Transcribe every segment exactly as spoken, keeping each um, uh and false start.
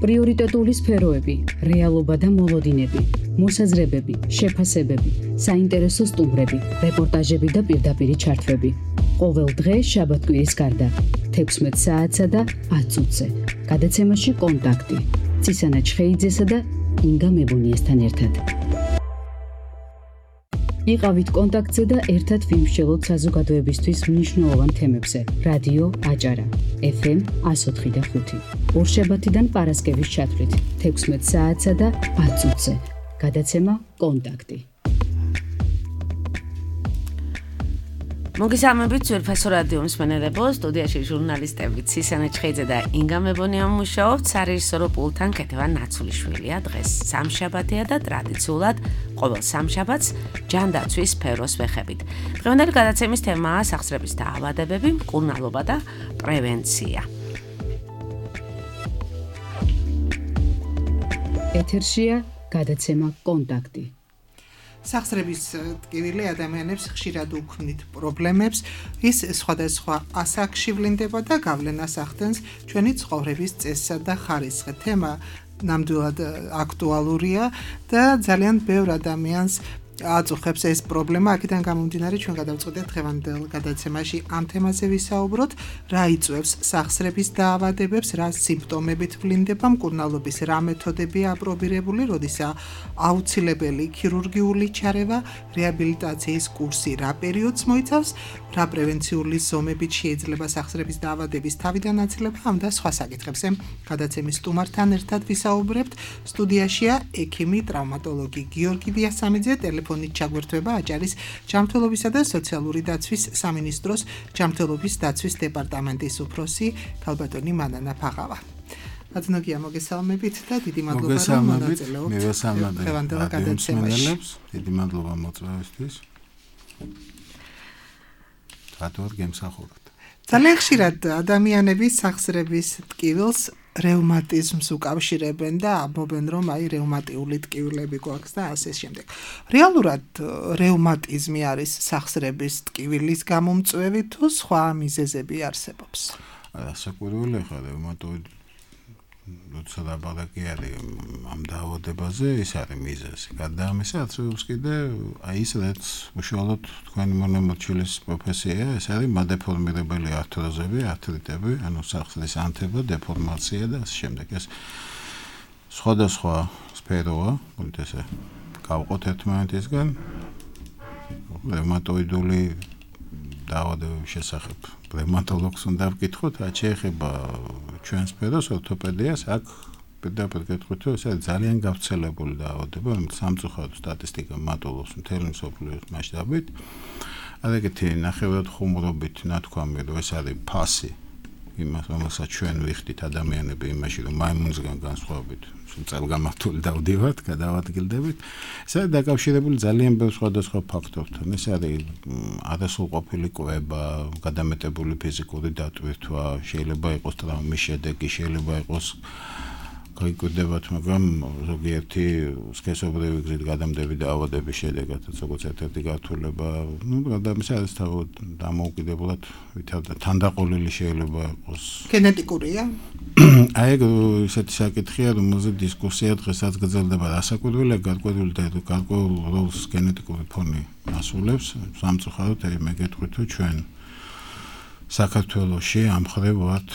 პრიორიტეტული სფეროები, რეალობა და მოლოდინები, მოსაზრებები, შეფასებები, საინტერესო სტუმრები, რეპორტაჟები და პირდაპირი ჩართვები. ყოველ დღე შაბათ-კვირის გარდა, თექვსმეტ საათსა და ათ წუთზე. გადაცემაში კონტაქტი. ცისანა ჩხეიძესა და ინგა მებონიესთან ერთად. იყავით კონტაქტზე და ერთად ვიმსჯელოთ საზოგადოებისთვის მნიშვნელოვან თემებზე. რადიო აჭარა, ეფ ემ εκατო ოთხი და ხუთი. ორშაბათიდან პარასკევის ჩათვლით, თექვსმეტ საათსა და ათ წუთზე. გადაცემა კონტაქტი. მოგესალმებით ძვირფასო რადიო მსმენელებო, სტუდიაში ჟურნალისტები ცისანა ჩხეიძე და ინგა მებონია მუშაობთ, სარეჟისორო პულტთან ქეთევან ნაცულიშვილია. დღეს სამშაბათია და ტრადიციულად ყოველ სამშაბათს ჯანდაცვის სფეროს ვეხებით. დღევანდელი გადაცემის თემაა სახსრების დაავადებები, მკურნალობა და პრევენცია. ეთერშია გადაცემა კონტაქტი. სახსრების ტკივილი ადამიანებს ხშირად უქმნით პრობლემებს, ის სხვადასხვა ასაკში ვლინდება და გავლენას ახდენს ჩვენი ცხოვრების წესსა და ხარისხზე. თემა ნამდვილად აქტუალურია და ძალიან ბევრ ადამიანს აწუხებს ეს პრობლემა. აქედან გამომდინარე, ჩვენ გადავწყვეტეთ დღევანდელ გადაცემაში ამ თემაზე ვისაუბროთ, რა იწვევს სახსრების დაავადებებს, რა სიმპტომებით ვლინდება მკურნალობის, რა მეთოდებია აპრობირებული, როდესაც აუცილებელი ქირურგიული ჩარევა, რეაბილიტაციის კურსი რა პერიოდს მოიცავს, რა პრევენციული ზომებით შეიძლება სახსრების დაავადების თავიდან აცილება, ამ და სხვა საკითხებზე გადაცემის სტუმართან ერთად ვისაუბრებთ. სტუდიაშია ექიმი, ტრავმატოლოგი გიორგი დიასამიძე, ტელეფონით ჩაგვერთვება აჭარის ჯანმრთელობისა და სოციალური დაცვის სამინისტროს ჯანმრთელობის დაცვის დეპარტამენტის უფროსი ქალბატონი მანანა ფაღავა. აცნობია მოგესალმებით და დიდი მადლობა რომ მონაწილეობთ დღევანდელ გადაცემაში. დიდი მადლობა მოწვევისთვის. რატო გემსახურებთ? ძალიან ხშირად ადამიანები სახსრების ტკივილს რევმატიზმს უკავშირებენ და ამბობენ, რომ აი რევმატიული ტკივილები გვაქვს და ასე შემდეგ. რეალურად რევმატიზმი არის სახსრების ტკივილის გამომწვევი თუ სხვა მიზეზები არსებობს? ასაკურველი ხარ რევმატოიდ როცა ლაპარაკი არის ამ დაავადებაზე, ის არის მიზეზი. გარდა ამისა, არსებობს კიდე აი ის რაც უშუალოდ თქვენი მონამორჩილის პროფესია, ეს არის მადეფორმირებელი ართროზები, ართრიტები, ანუ სახსრის ანთება, დეფორმაცია და ასე შემდეგ. ეს სხვადასხვა სფეროა, მოდი ესე გავყოთ ერთმანეთისგან. რევმატოიდული დაავადებების შესახებ რევმატოლოგს უნდა ვკითხოთ, რაც შეეხება ჩვენ სფეროს, ორთოპედიას, აქ პირდაპირ გეტყვით, რომ ეს არის ძალიან გავრცელებული დაავადება, რომელიც სამწუხაროდ სტატისტიკა მატულობს მთელი მსოფლიოს მასშტაბით. ასეთი ნახევრად ხუმრობით ნათქვამი, რომ ეს არის ფასი იმას, რომელსაც ჩვენ ვიხდით ადამიანები იმაში, რომ მაიმუნისგან განსხვავებით წელგამართული დავდივართ, გადავადგილდებით. ეს არის დაკავშირებული ძალიან ბევრ სხვადასხვა ფაქტორთან. ეს არის არასრულყოფილი კვება, გადამეტებული ფიზიკური დატვირთვა, შეიძლება იყოს ტრავმის შედეგი, შეიძლება იყოს გაიკვირდებათ, მაგრამ ზოგიერთი სქესობრივი გზით გადამდები დაავადების შედეგადაც, როგორც ერთ-ერთი გართულება, ну, გადამის არის დამოუკიდებლად თანდაყოლილი შეიძლება იყოს. გენეტიკურია? აი, ესეთი საკითხია, რომელზეც დისკუსია დღესაც გრძელდება. ასაკურველი გარკვეული და გარკვეულ როლს გენეტიკური ფონი ასრულებს. სამწუხაროდ მე გეტყვით, რომ ჩვენ საქართველოში ამ მხრივ ვართ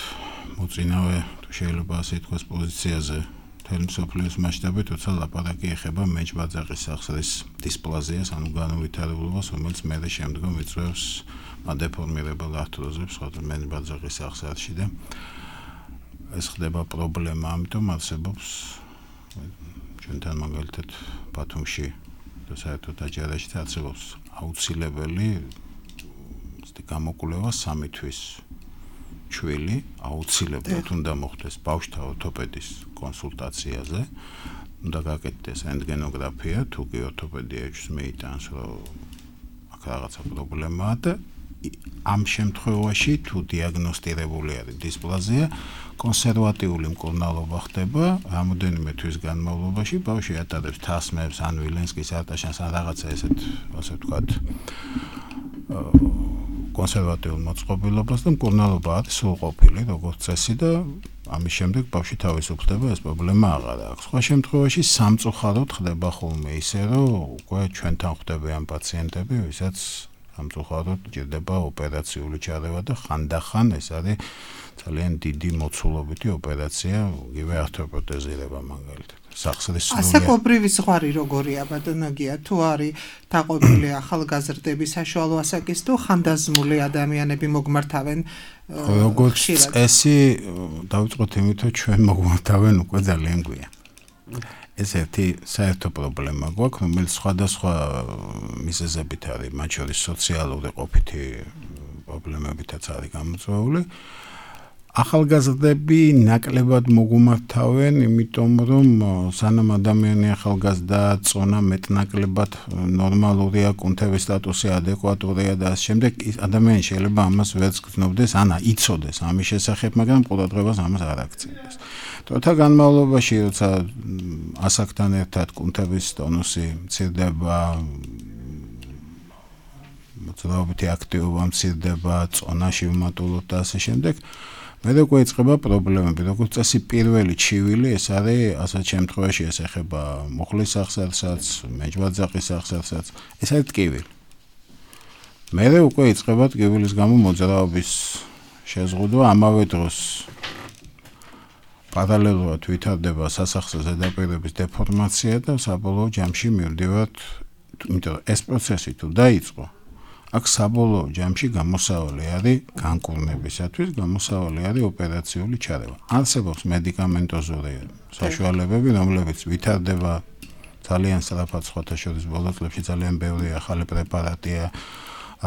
მოწინავე, შეიძლება ასე ითქვას, პოზიციაზე მთელი მსოფლიოს მასშტაბით, როცა ლაპარაკი ეხება მეჯბაძაყის სახსრის დისპლაზიას, ანუ განუვითარებლობას, რომელიც მერე შემდგომ იწვევს მადეფორმირებელ ართროზებს მეჯბაძაყის სახსრში და ეს ხდება პრობლემა, ამიტომ არსებობს ჩვენთან მაგალითად ბათუმში და საერთოდ აჭარაში არსებობს აუცილებელი გამოკვლევა სამი თვის ჩვილი აუცილებლად უნდა მოხდეს ბავშვთა ორთოპედის კონსულტაციაზე, უნდა გაკეთდეს რენტგენოგრაფია, თუ კი ორთოპედიაში მეიტანს, რომ აქ რაღაცა პრობლემაა და ამ შემთხვევაში თუ დიაგნოსტირებული არის დისპლაზია, კონსერვატიული მკურნალობა ხდება, რამოდენიმე თვის განმავლობაში ბავშვი ატარებს თასმებს, ან ვილენსკის არტაშანს, ან რაღაცა ესეთ, ასე ვთქვათ, კონსერვატიულ მოწყობილობას და მკურნალობა არის სრულყოფილი, როგორც წესი და ამის შემდეგ ბავშვი თავისუფლდება, ეს პრობლემა აღარ აქვს. სხვა შემთხვევაში სამწუხაროდ ხდება ხოლმე ისე, რომ უკვე ჩვენთან ხვდებიან პაციენტები, ვისაც სამწუხაროდ ჭირდება ოპერაციული ჩარევა და ხანდახან ეს არის ძალიან დიდი მოცულობითი ოპერაცია, იგივე ართოპროტეზირება მაგალითად. ასაკობრივი ზღვარი როგორია ბატონოგია თუ არის დაყოლილი ახალგაზრდები საშუალო ასაკის თუ ხანდაზმული ადამიანები მოგმართავენ როგორც წესი დავიწყოთ იმით რომ ჩვენ მოგმართავენ უკვე ძალიან გვიან ეს ერთი საერთო პრობლემა გვაქვს რომელიც სხვადასხვა მიზეზებით არის მათ შორის სოციალური ყოფითი პრობლემებითაც არის გამოწვეული ახალგაზრდები ნაკლებად მოგუმართავენ, იმიტომ რომ სანამ ადამიანი ახალგაზრდა წონა მეტნაკლებად ნორმალურია, კუნთების სტატუსი ადეკვატურია და ამ შემდეგ ადამიანი შეიძლება ამას ვერც გრძნობდეს, ანა იცოდეს ამის შესახებ, მაგრამ ყურადღებას ამას არ აქცევდეს. დროთა განმავლობაში, როცა ასაკთან ერთად კუნთების ტონუსი მცირდება, მოძრაობითი აქტივობა მცირდება, წონა შევმატულობ და ასე შემდეგ მე უკვე იწყება პრობლემები, როგორც წესი პირველი ჩივილი ეს არის ასეთ შემთხვევაში ეს ეხება მუხლის აღსარსაც, მეჯვაძაყის აღსარსაც, ეს არის ტკივილი. მე უკვე იწყება ტკივილის გამო მოძრაობის შეზღუდვა, ამავე დროს პარალელურად ვითარდება სასახსო ზედაპირების დეფორმაცია და საბოლოო ჯამში მივდივართ, იმიტომ რომ ეს პროცესი თუ დაიწყო აქ საბოლოო ჯამში გამოსავალი არის განკურნებისათვის, გამოსავალი არის ოპერაციული ჩარევა. არსებობს მედიკამენტოზური საშუალებები, რომლებიც ვითარდება ძალიან სწრაფად სხვათა შორის ბოლო წლებში ძალიან ბევრი ახალი პრეპარატია,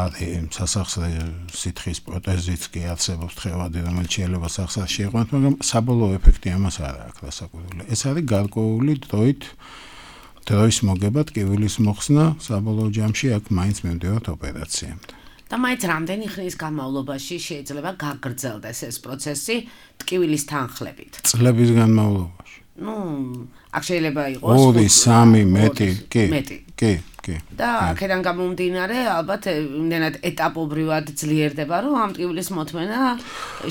არის სასახსრე სითხის პროტეზიც კი არსებობს თხევადი, რომელიც შეიძლება სახსრას შეიყვანოს, მაგრამ საბოლოო ეფექტი ამას არ აქვს დასაკვირველი. ეს არის გარკვეული დროით დროის მოგება ტკივილის მოხსნა საბოლოო ჯამში აქ მაინც მივდივართ ოპერაციამდე. და მაინც რამდენი ხნის განმავლობაში შეიძლება გაგრძელდეს ეს პროცესი ტკივილის თანხლებით? წლების განმავლობაში. ნუ, აქ შეიძლება იყოს ორი, სამი, მეტი, კი. კი, კი. და აქედან გამომდინარე, ალბათ იმდენად ეტაპობრივად ძლიერდება, რომ ამ ტკივილის მოთმენა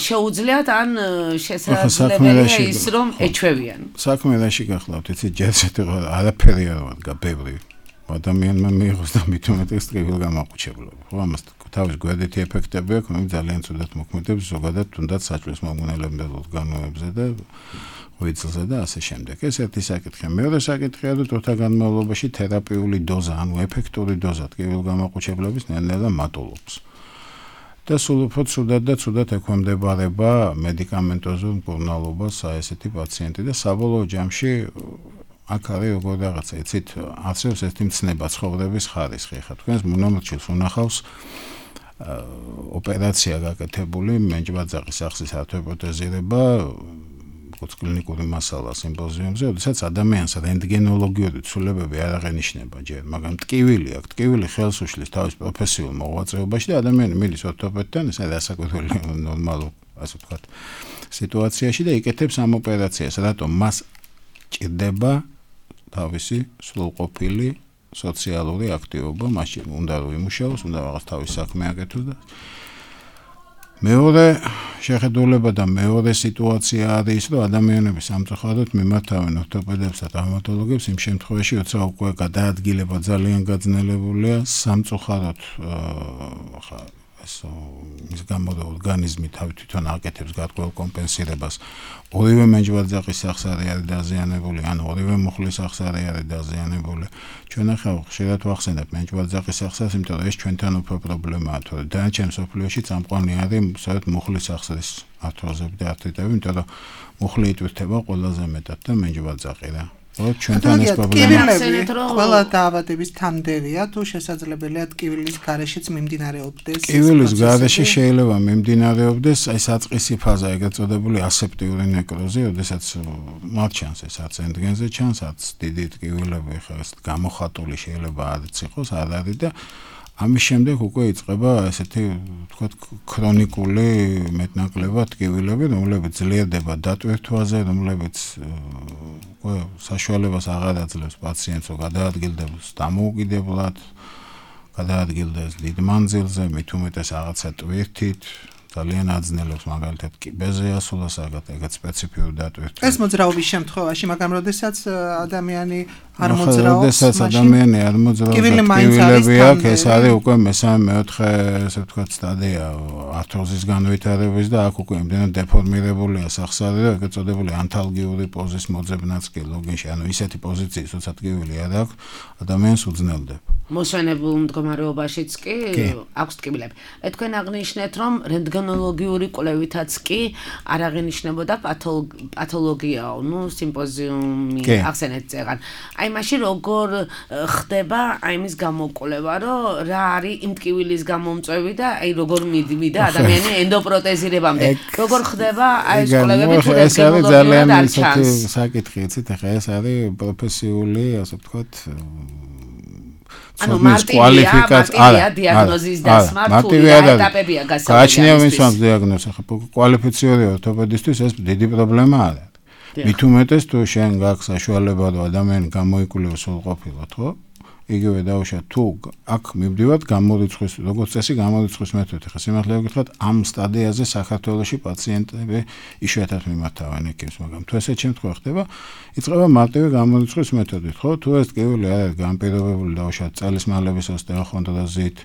შეუძლიათ ან შესაძლებელია ის, რომ ეჩვევიან. საქმე რაში გახლავთ, იცი, ჯერჯერობით არაფერი არ ვადგა ბევრი. ადამიანმა მიიღოს და მით უმეტეს ტკივილ გამაყუჩებლობა. ხო, ამას თავის გვერდითი ეფექტები აქვს, რომელიც ძალიან ცუდად მოქმედებს ზოგადად თუნდაც საჭმლის მომგვნელებელ ორგანოებზე და ვიწლზე და ასე შემდეგ. ეს ერთი საკითხია. მეორე საკითხია, რომ დროთა განმავლობაში თერაპიული დოზა, ანუ ეფექტური დოზა ტკივილ გამაყუჩებლების ნელ-ნელა მატულობს. და სულ უფრო ცუდად და ცუდად ექვემდებარება მედიკამენტოზურ მკურნალობას ესეთი პაციენტი და საბოლოო ჯამში აქ არის როგორ რაღაცა, იცით, არსებობს ერთი მცნება ცხოვრების ხარისხი. ხა თქვენს მონომორჩილს უნახავს ოპერაცია გაკეთებული მეჯვაძაყის ახსის ართოპროტეზირება კლინიკური მასალა სიმპოზიუმზე, როდესაც ადამიანს რენტგენოლოგიური ცვლილებები არ აღენიშნება ჯერ, მაგრამ ტკივილი აქვს, ტკივილი ხელს უშლის თავის პროფესიულ მოღვაწეობაში და ადამიანი მიდის ორთოპედთან, ეს არის ასაკუთრებული ნორმალურ, ასე ვთქვათ, სიტუაციაში და იკეთებს ამ ოპერაციას, რატომ მას ჭირდება თავისი სრულყოფილი სოციალური აქტივობა, მაშინ უნდა რომ იმუშაოს, უნდა რაღაც თავის საქმე აკეთოს და მეორე შეხედულება და მეორე სიტუაცია არის, რომ ადამიანები სამწუხაროდ მიმართავენ ორთოპედებს და ტრავმატოლოგებს იმ შემთხვევაში, როცა უკვე გადაადგილება ძალიან გაძნელებულია, სამწუხაროდ ხა ეს ის გამო და ორგანიზმი თავი თვითონ აკეთებს გარკვეულ კომპენსირებას. ორივე მეჯვაძაყის სახსარი არის დაზიანებული, ან ორივე მუხლის სახსარი არის დაზიანებული. ჩვენ ახლა ხშირად ვახსენებთ მეჯვაძაყის სახსარს, იმიტომ რომ ეს ჩვენთან უფრო პრობლემაა, თორე დანარჩენ მსოფლიოში წამყვანი არის სწორედ მუხლის სახსრის ართროზები და არტრიტები, იმიტომ რომ მუხლი იტვირთება ყველაზე მეტად და მეჯვაძაყი რა. ჩვენთან ეს პრობლემა ყველა დაავადების თანმდევია თუ შესაძლებელია ტკივილის გარეშეც მიმდინარეობდეს. ტკივილის გარეშე შეიძლება მიმდინარეობდეს აი საწყისი ფაზა, ეგრეთ წოდებული ასეპტიური ნეკროზი, როდესაც მარჩანს ეს არც რენტგენზე ჩანს, არც დიდი ტკივილები ხა ეს გამოხატული შეიძლება არც იყოს, არ არის და ამის შემდეგ უკვე იწყება ესეთი ვთქვათ ქრონიკული მეტნაკლებად ტკივილები, რომლებიც ძლიერდება დატვირთვაზე, რომლებიც უკვე საშუალებას აღარ აძლევს პაციენტს, რომ გადაადგილდეს დამოუკიდებლად, გადაადგილდეს დიდ მანძილზე, მით უმეტეს რაღაცა ტვირთით, ძალიან აძნელებს მაგალითად კიბეზე ასულას ეგეთ სპეციფიური დატვირთვა. ეს მოძრაობის შემთხვევაში, მაგრამ როდესაც ადამიანი არ მოძრაობს, როდესაც ადამიანი არ მოძრაობს, კიბილები აქვს, ეს არის უკვე მესამე მეოთხე, ესე ვთქვათ, სტადია ართროზის განვითარების და აქ უკვე იმდენად დეფორმირებულია სახსარი, რომ ეგ ეწოდებული ანთალგიური პოზის მოძებნაც კი ლოგინში, ანუ ისეთი პოზიციის, როცა ტკივილი არ აქვს, ადამიანს უძნელდება. მოსვენებულ მდგომარეობაშიც კი აქვს ტკივილები. თქვენ აღნიშნეთ, რომ რენტგენოლოგიური კვლევითაც კი არ აღინიშნებოდა პათოლოგიაო, ნუ სიმპოზიუმი ახსენეთ წეგან. აი მაშინ როგორ ხდება აი მის გამოკვლევა, რომ რა არის იმ ტკივილის გამომწვევი და აი როგორ მივიდა ადამიანი ენდოპროტეზირებამდე. როგორ ხდება აი ეს კვლევები თუ რენტგენოლოგიურად არ ჩანს? საკითხი იცით, ახლა ეს არის პროფესიული, ასე ვთქვათ, ანუ მარტივია დიაგნოზის დასმა თუ ეტაპებია გასავლელი. გააჩნია ვინც ამ დიაგნოზს, ახლა კვალიფიციური ორთოპედისტვის ეს დიდი პრობლემა არის. მით უმეტეს თუ შენ გაქვს საშუალება რომ ადამიანი გამოიკვლევოს სრულყოფილად, ხო? იგივე დაუშვათ თუ აქ მივდივართ გამორიცხვის, როგორც წესი გამორიცხვის მეთოდით. ახლა სიმართლე გითხრათ, ამ სტადიაზე საქართველოში პაციენტები იშვიათად მიმართავენ ექიმს, მაგრამ თუ ესეთ შემთხვევა ხდება, იწყება მარტივი გამორიცხვის მეთოდით, ხო? თუ ეს ტკივილი არ არის განპირობებული დაუშვათ წელის მალების ოსტეოხონდროზით,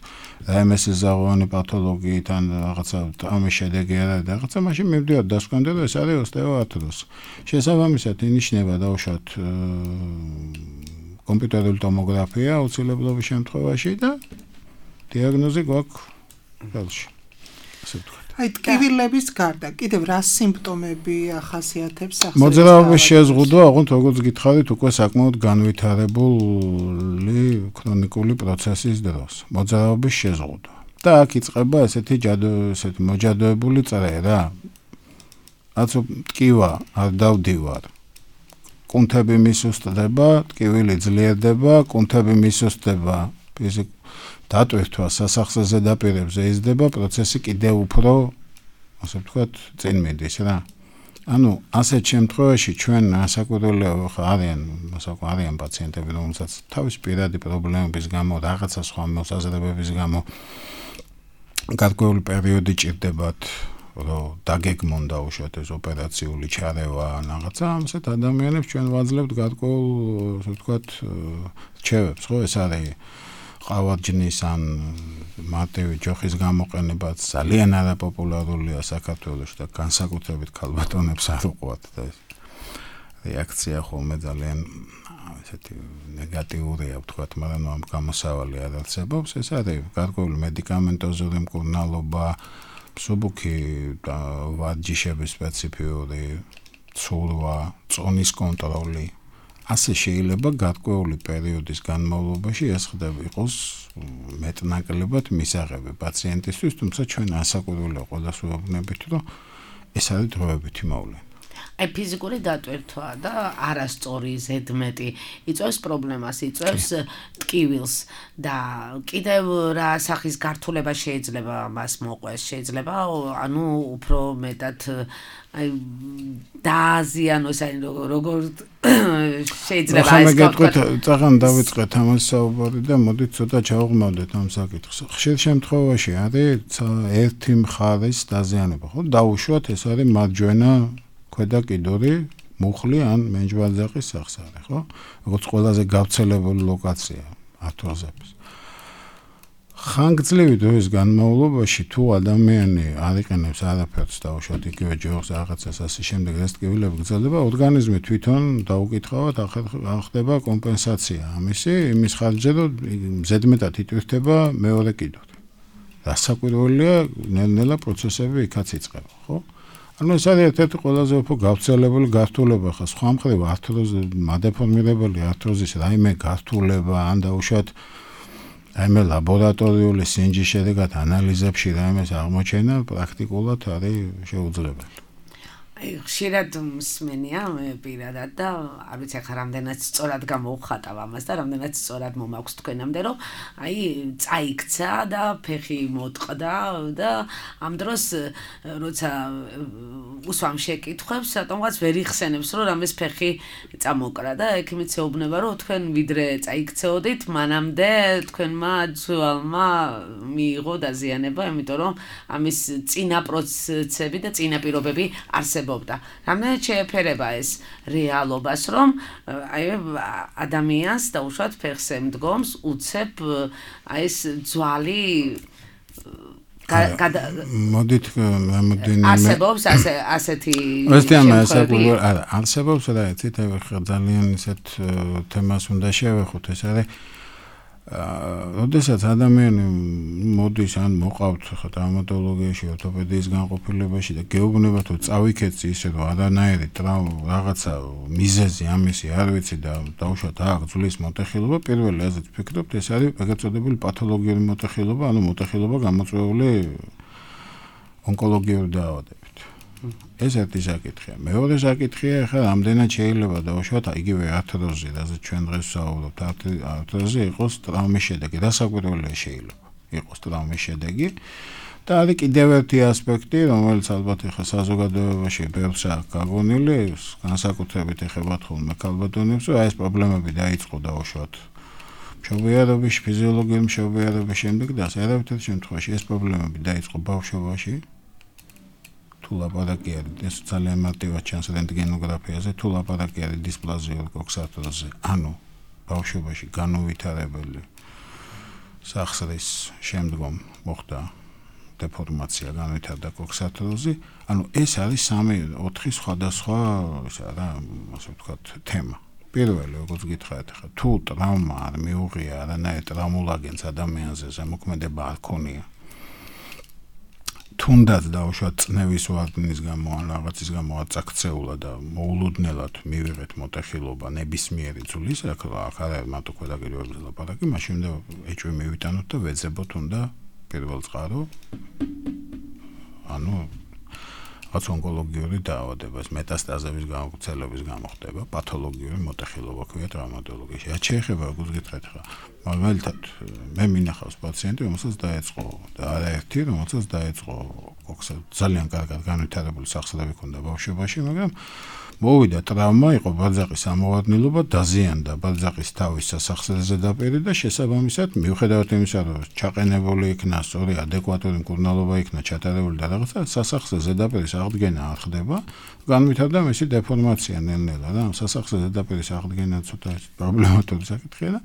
რემესის ზაღოვანი პათოლოგიით ან რაღაცა ამის შედეგი არ არის და რაღაცა, მაშინ მივდივართ დასკვამდე, რომ ეს არის ოსტეოართროზი. შესაბამისად ინიშნება დაუშვათ კომპიუტერული ტომოგრაფია აუცილებლობის შემთხვევაში და დიაგნოზი გვაქვს ხელში. ასე ვთქვათ. აი ტკივილების გარდა კიდევ რა სიმპტომები ახასიათებს სახსრების? მოძრაობის შეზღუდვა, ოღონდ როგორც გითხარით, უკვე საკმაოდ განვითარებული ქრონიკული პროცესის დროს. მოძრაობის შეზღუდვა. და აქ იწყება ესეთი ჯადო, ესეთი მოჯადოებული წრე. რაც ტკივა არ დავდივარ. კუნთები მისუსტდება, ტკივილი ძლიერდება, კუნთები მისუსტდება, ფიზიკ დატვირთვა სასახსე ზედაპირებზე იზრდება, პროცესი კიდევ უფრო, ასე ვთქვათ, წინ მიდის რა. ანუ ასეთ შემთხვევაში ჩვენ ასაკურველები ხა არიან, ასაკ არიან პაციენტები, რომელსაც თავის პირადი პრობლემების გამო, რაღაცა სხვა მოსაზრებების გამო გარკვეული პერიოდი ჭირდებათ რომ დაგეგმონ დაუშვათ ეს ოპერაციული ჩარევა რაღაცა, ამასეთ ადამიანებს ჩვენ ვაძლევთ გარკვეულ, ასე ვთქვათ, რჩევებს, ხო, ეს არის ყავარჯნის ან მარტივი ჯოხის გამოყენებაც ძალიან არაპოპულარულია საქართველოში და განსაკუთრებით ქალბატონებს არ უყვართ და ეს რეაქცია ხოლმე ძალიან ესეთი ნეგატიურია, ვთქვათ, მაგრამ ამ გამოსავალი არ არსებობს, ეს არის გარკვეული მედიკამენტოზური მკურნალობა, მსუბუქი ვარჯიშების სპეციფიური ცურვა, წონის კონტროლი. ასე შეიძლება გარკვეული პერიოდის განმავლობაში ეს ხდება იყოს მეტნაკლებად მისაღები პაციენტისთვის, თუმცა ჩვენ ასაკურველი ყველას ვეუბნებით, რომ ეს არის დროებითი მოვლენა. აი ფიზიკური დატვირთვა და არასწორი ზედმეტი იწვევს პრობლემას, იწვევს ტკივილს და კიდევ რა სახის გართულება შეიძლება მას მოყვეს, შეიძლება ანუ უფრო მეტად აი დააზიანოს, აი როგორ შეიძლება ეს გეტყვით, წაღან დავიწყეთ ამას საუბარი და მოდით ცოტა ჩავღმავდეთ ამ საკითხს. ხშირ შემთხვევაში არის ერთი მხარის დაზიანება, ხო? დაუშვათ ეს არის მარჯვენა ქვედა კიდური, მუხლი ან მენჯვალძაყის სახსარი, ხო? როგორც ყველაზე გავრცელებული ლოკაცია ართროზების. ხანგრძლივი დროის განმავლობაში თუ ადამიანი არ იყენებს არაფერს დაუშვათ იგივე ჯოხს რაღაცას ასე შემდეგ ეს ტკივილები გრძელდება, ორგანიზმი თვითონ დაუკითხავად ახდება კომპენსაცია ამისი იმის ხარჯზე, რომ ზედმეტად იტვირთება მეორე კიდური. დასაკვირველია ნელ-ნელა პროცესები იქაც იწყება, ხო? ანუ ეს არის ერთ-ერთი ყველაზე უფრო გავრცელებული გართულება ხა სხვა მხრივ ართროზი, მადეფორმირებული ართროზის რაიმე გართულება ან დაუშვათ რაიმე ლაბორატორიული სინჯის შედეგად ანალიზებში რაიმეს აღმოჩენა პრაქტიკულად არის შეუძლებელი. აი ხშირად მსმენია მე პირადად და არ ვიცი ახლა რამდენად სწორად გამოვხატავ ამას და რამდენად სწორად მომაქვს თქვენამდე რომ აი წაიქცა და ფეხი მოტყდა და ამ დროს როცა უსვამ შეკითხვებს რატომღაც ვერ იხსენებს რომ რამეს ფეხი წამოკრა და ექიმიც ეუბნება რომ თქვენ ვიდრე წაიქცეოდით მანამდე თქვენმა ძვალმა მიიღო დაზიანება იმიტომ რომ ამის წინა პროცესები და წინა პირობები არსებობდა. რამდენად შეეფერება ეს რეალობას, რომ აი ადამიანს დაუშვათ ფეხზე მდგომს უცებ აი ეს ძვალი მოდით მოდინი არსებობს ასე ასეთი შემთხვევები არა არსებობს რა იცით ძალიან ისეთ თემას უნდა შევეხოთ ეს არის როდესაც ადამიანი მოდის ან მოყავთ ხა ტრაუმატოლოგიაში, ორთოპედიის განყოფილებაში და გეუბნება თუ წავიქეცი ისე რომ არანაირი ტრავმა რაღაცა მიზეზი ამისი არ ვიცი და დაუშვათ აქ ძვლის მოტეხილობა პირველი აზრით ვფიქრობთ ეს არის ეგრეთ წოდებული პათოლოგიური მოტეხილობა, ანუ მოტეხილობა გამოწვეული ონკოლოგიური დაავადებით. ეს ერთი საკითხია. მეორე საკითხია, ხა რამდენად შეიძლება დავუშვათ იგივე ართროზი, რაზეც ჩვენ დღეს ვსაუბრობთ, ართროზი იყოს ტრავმის შედეგი, რასაკვირველია შეიძლება იყოს ტრავმის შედეგი. და არის კიდევ ერთი ასპექტი, რომელიც ალბათ ხა საზოგადოებაში ბევრსა გაგონილი, განსაკუთრებით ეხება ხოლმე ქალბატონებს, რომ აი ეს პრობლემები დაიწყო დავუშვათ მშობიარობის, ფიზიოლოგიური მშობიარობის შემდეგ და საერთოდ შემთხვევაში ეს პრობლემები დაიწყო ბავშვობაში. თუ ლაპარაკი არის ეს ძალიან მარტივად ჩანს რენტგენოგრაფიაზე თუ ლაპარაკი არის დისპლაზიურ კოქსარტროზზე ანუ ბავშვობაში განუვითარებელი სახსრის შემდგომ მოხდა დეფორმაცია განვითარდა კოქსარტროზი ანუ ეს არის სამი ოთხი სხვადასხვა ისა რა ასე ვთქვათ თემა პირველი როგორც გითხარით ხა თუ ტრავმა არ მიუღია არანაირ ტრავმულ აგენტს ადამიანზე ზემოქმედება არ ქონია თუნდაც დაუშვათ წნევის ვარდნის გამო ან რაღაცის გამო აწაქცეულა და მოულოდნელად მივიღეთ მოტეხილობა ნებისმიერი ძვლის აქ არ არის მარტო ქვედაგიროებზე ლაპარაკი მაშინ უნდა ეჭვი მივიტანოთ და ვეძებოთ უნდა პირველ წყარო ანუ რაც ონკოლოგიური დაავადება მეტასტაზების გავრცელების გამო ხდება პათოლოგიური მოტეხილობა ქვია ტრავმატოლოგიაში რაც შეეხება როგორც გითხრათ ხა მაგალითად მე მინახავს პაციენტი რომელსაც დაეწყო და არაერთი რომელსაც დაეწყო კოქსა ძალიან კარგად განვითარებული სახსრები ჰქონდა ბავშვობაში მაგრამ მოვიდა ტრავმა იყო ბაძაყის ამოვარდნილობა დაზიანდა ბაძაყის თავის სასახსრეზე დაპირი და შესაბამისად მიუხედავად იმისა რომ ჩაყენებული იქნა სწორი ადეკვატური მკურნალობა იქნა ჩატარებული და რაღაცა სასახსრეზე დაპირის აღდგენა არ ხდება განვითარდა მისი დეფორმაცია ნელ-ნელა რა სასახსრეზე დაპირის აღდგენა ცოტა პრობლემატური საკითხია და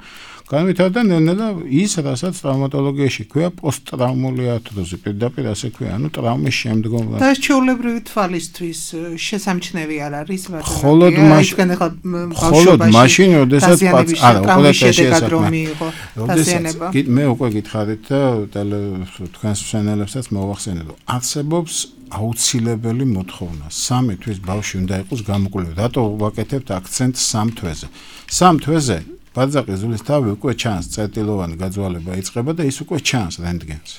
განვითარდა ნელ-ნელა ის რასაც ტრავმატოლოგიაში ქვია პოსტტრავმული ართროზი პირდაპირ ასე ქვია ანუ ტრავმის შემდგომ და ჩვეულებრივი თვალისთვის შესამჩნევი არ არის ხოლოდ მაშინ ხოლოდ მაშინ როდესაც არა უკვე შეესაბამება როდესაც მე უკვე გითხარით და თქვენს მსმენელებსაც მოვახსენე რომ არსებობს აუცილებელი მოთხოვნა სამი თვის ბავშვი უნდა იყოს გამოკვლევი რატო ვაკეთებთ აქცენტს სამ თვეზე სამ თვეზე ბაძაყის ძვლის თავი უკვე ჩანს წერტილოვანი გაძვალება იწყება და ის უკვე ჩანს რენტგენზე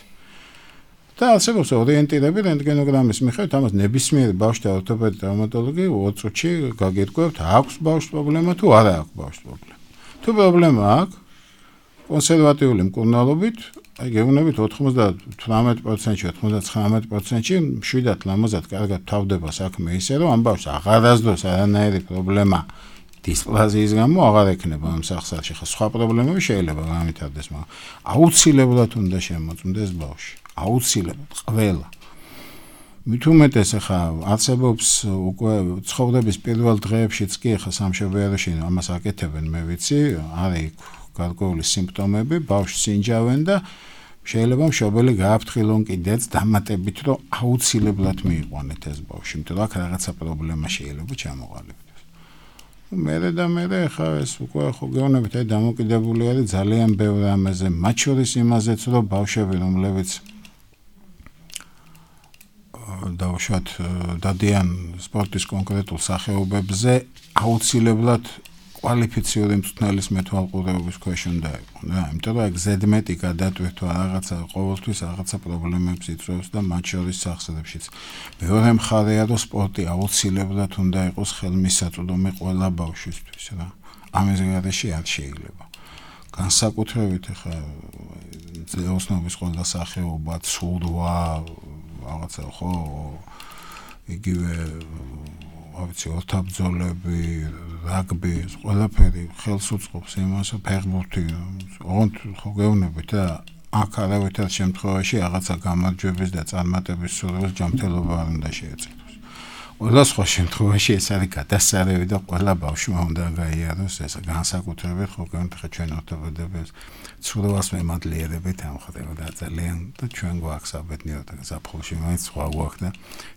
და არსებობს ორიენტირები რენტგენოგრამის მიხედვით ამას ნებისმიერი ბავშვი და ორთოპედი ტრავმატოლოგი ორი წუთში გაგირკვევთ აქვს ბავშვს პრობლემა თუ არა აქვს ბავშვს პრობლემა თუ პრობლემა აქვს კონსერვატიული მკურნალობით აი გეუბნებით ოთხმოცდათვრამეტ პროცენტში ოთხმოცდაცხრამეტ პროცენტში მშვიდად ლამაზად კარგად თავდება საქმე ისე რომ ამ ბავშვს აღარასდროს არანაირი პრობლემა დისპლაზიის გამო აღარ ექნება ამ სახსრაში ხა სხვა პრობლემები შეიძლება გამითარდეს მაგრამ აუცილებლად უნდა შემოწმდეს ბავშვი აუცილებლად ყველა მით უმეტეს ახლა არსებობს უკვე ცხოვრების პირველ დღეებშიც კი ახლა სამშობიაროში ამას აკეთებენ მე ვიცი არის გარკვეული სიმპტომები ბავშვს ინჯავენ და შეიძლება მშობელი გააფრთხილონ კიდეც დამატებით რომ აუცილებლად მიიყვანეთ ეს ბავშვი იმიტომ რომ აქ რაღაცა პრობლემა შეიძლება ჩამოყალიბდეს მერე და მერე ახლა ეს უკვე ხო გეუბნებით აი დამოკიდებული არის ძალიან ბევრ რამეზე მათ შორის იმაზეც რომ ბავშვები რომლებიც დავუშვათ დადიან სპორტის კონკრეტულ სახეობებზე აუცილებლად კვალიფიციური მწვრთნელის მეთვალყურეობის ქვეშ უნდა იყო რა იმიტომ რომ ზედმეტი გადატვირთვა რაღაცა ყოველთვის რაღაცა პრობლემებს იწვევს და მათ შორის სახსრებშიც მეორე მხარეა რომ სპორტი აუცილებლად უნდა იყოს ხელმისაწვდომი ყველა ბავშვისთვის რა ამის გარშე არ შეიძლება განსაკუთრებით ხა ოსნობის ყველა სახეობა ცურვა რაღაცა ხო იგივე ავიცი ორთაბრძოლები რაგბი ყველაფერი ხელს უწყობს იმას ფეხბურთი ოღონდ ხო გეუბნებით და აქ არავითარ შემთხვევაში რაღაცა გამარჯვების და წარმატების სურვილს ჯანმრთელობა არ უნდა შეეწიროს ყველა სხვა შემთხვევაში ეს არის გადასარევი და ყველა ბავშვმა უნდა გაიაროს ეს განსაკუთრებით ხო გეუბნებით ხა ჩვენ ორთოპედებს ცურვას მემადლიერებით ამხდება და ძალიან და ჩვენ გვაქვს საბედნიეროდ ზაფხულში მაინც სხვა გვაქვს და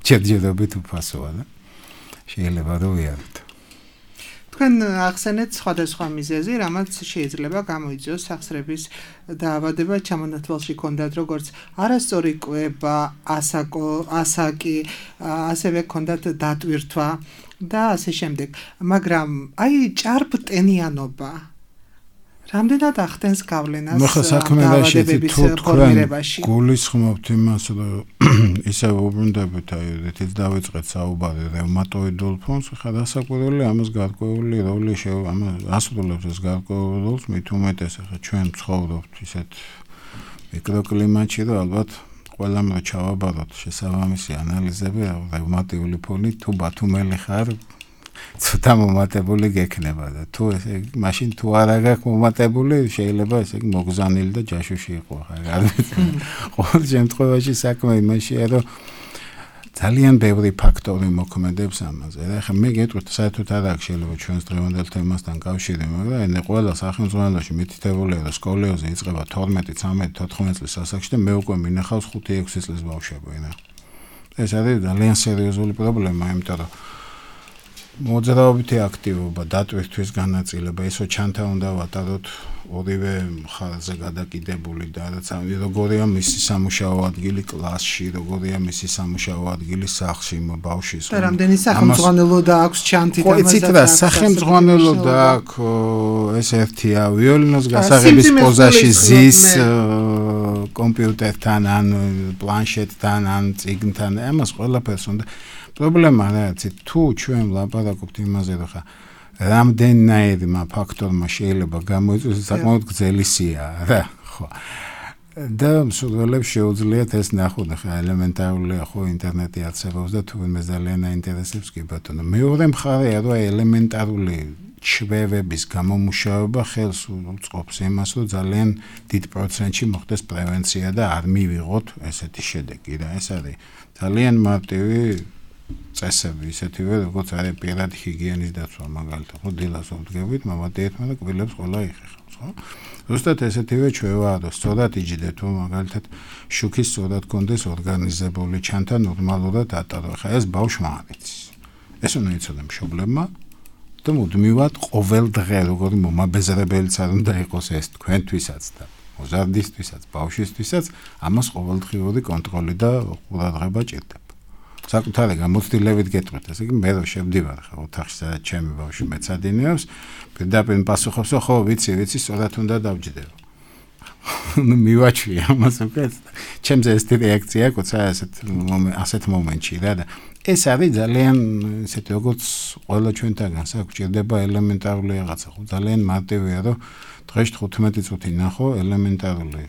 ჯერჯერობით უფასოა და შეიძლება რომ ვიაროთ. თქვენ ახსენეთ სხვადასხვა მიზეზი, რამაც შეიძლება გამოიწვიოს სახსრების დაავადება, ჩამონათვალში ქონდათ როგორც არასწორი კვება, ასაკო, ასაკი, ასევე ქონდათ დატვირთვა და ასე შემდეგ. მაგრამ აი ჭარბტენიანობა რამდენად ახდენს გავლენას დაავადებების ფორმირებაში? გულისხმობთ იმას, რომ ისე უბრუნდებით, აი, რითიც დავიწყეთ საუბარი რევმატოიდულ ფონს, ხა დასაკვირველი ამას გარკვეული როლი შეუ ამას ასრულებს ეს გარკვეული როლს, მით უმეტეს ხა ჩვენ ცხოვრობთ ისეთ მიკროკლიმატში, რომ ალბათ ყველამ რა ჩავაბაროთ შესაბამისი ანალიზები, რევმატიული ფონი თუ ბათუმელი ხარ ცოტა მომატებული გექნება და თუ ესე მაშინ თუ არ აგაქვს მომატებული შეიძლება ესე მოგზანილი და ჯაშუში იყო ხარ არ ვიცი ყოველ შემთხვევაში საქმე იმაშია რომ ძალიან ბევრი ფაქტორი მოქმედებს ამაზე და ახლა მე გეტყვით საერთოდ არ აქვს შეიძლება ჩვენს დღევანდელ თემასთან კავშირი მაგრამ ეს ყველა სახელმწიფოში მითითებულია რომ სკოლიოზი იწყება თორმეტი, ცამეტი, თოთხმეტი წლის ასაკში და მე უკვე მინახავს ხუთი ექვსი წლის ბავშვები რა ეს არის ძალიან სერიოზული პრობლემა იმიტომ რომ მოძრაობითი აქტივობა, დატვირთვის განაწილება, ისო ჩანთა უნდა ვატაროთ ორივე მხარეზე გადაკიდებული და რაც როგორია მისი სამუშაო ადგილი კლასში, როგორია მისი სამუშაო ადგილი სახლში, ბავშვის. და რამდენი სახელმძღვანელო და აქვს ჩანთი და ამასაც. ხო, იცით რა, სახელმძღვანელო და აქვს ეს ერთია, ვიოლინოს გასაღების პოზაში ზის კომპიუტერთან ან პლანშეტთან ან წიგნთან, ამას ყველაფერს უნდა პრობლემა რა არის თუ ჩვენ ვლაპარაკობთ იმაზე რომ ხა რამდენნაირმა ფაქტორმა შეიძლება გამოიწვიოს საკმაოდ გრძელი სია რა ხო და მსურველებს შეუძლიათ ეს ნახოთ ხა ელემენტარულია ხო ინტერნეტი არსებობს და თუ მე ძალიან აინტერესებს კი ბატონო მეორე მხარეა რომ ელემენტარული ჩვევების გამომუშავება ხელს უწყობს იმას რომ ძალიან დიდ პროცენტში მოხდეს პრევენცია და არ მივიღოთ ესეთი შედეგი რა ეს არის ძალიან მარტივი წესები ისეთივე როგორც არის პირადი ჰიგიენის დაცვა მაგალითად ხო დილას ვდგებით მამადიეთმა და კბილებს ყველა იხეხავს ხო ზუსტად ესეთივე ჩვევაა რომ სწორად იჯდეთ თუ მაგალითად შუქის სწორად კონდეს ორგანიზებული ჩანთა ნორმალურად ატარო ხა ეს ბავშვმა არის ეს უნდა იცოდე მშობლებმა და მუდმივად ყოველ დღე როგორი მომაბეზრებელიც არ უნდა იყოს ეს თქვენთვისაც და მოზარდისთვისაც ბავშვისთვისაც ამას ყოველდღიური კონტროლი და ყურადღება ჭირდება საკუთარი გამოცდილებით გეტყვით, ესე იგი მე რომ შევდივარ ხა ოთახში სადაც ჩემი ბავშვი მეცადინეობს, პირდაპირ პასუხობს, ხო, ვიცი, ვიცი, სწორად უნდა დავჯდეო. ნუ მივაჩვია ამას უკვე. ჩემზე ეს რეაქცია კოცა ასეთ ასეთ მომენტში რა და ეს არის ძალიან ესეთი როგორც ყველა ჩვენთაგან საგვჭირდება ელემენტარული რაღაცა, ხო, ძალიან მარტივია რომ დღეში თხუთმეტი წუთი ნახო ელემენტარული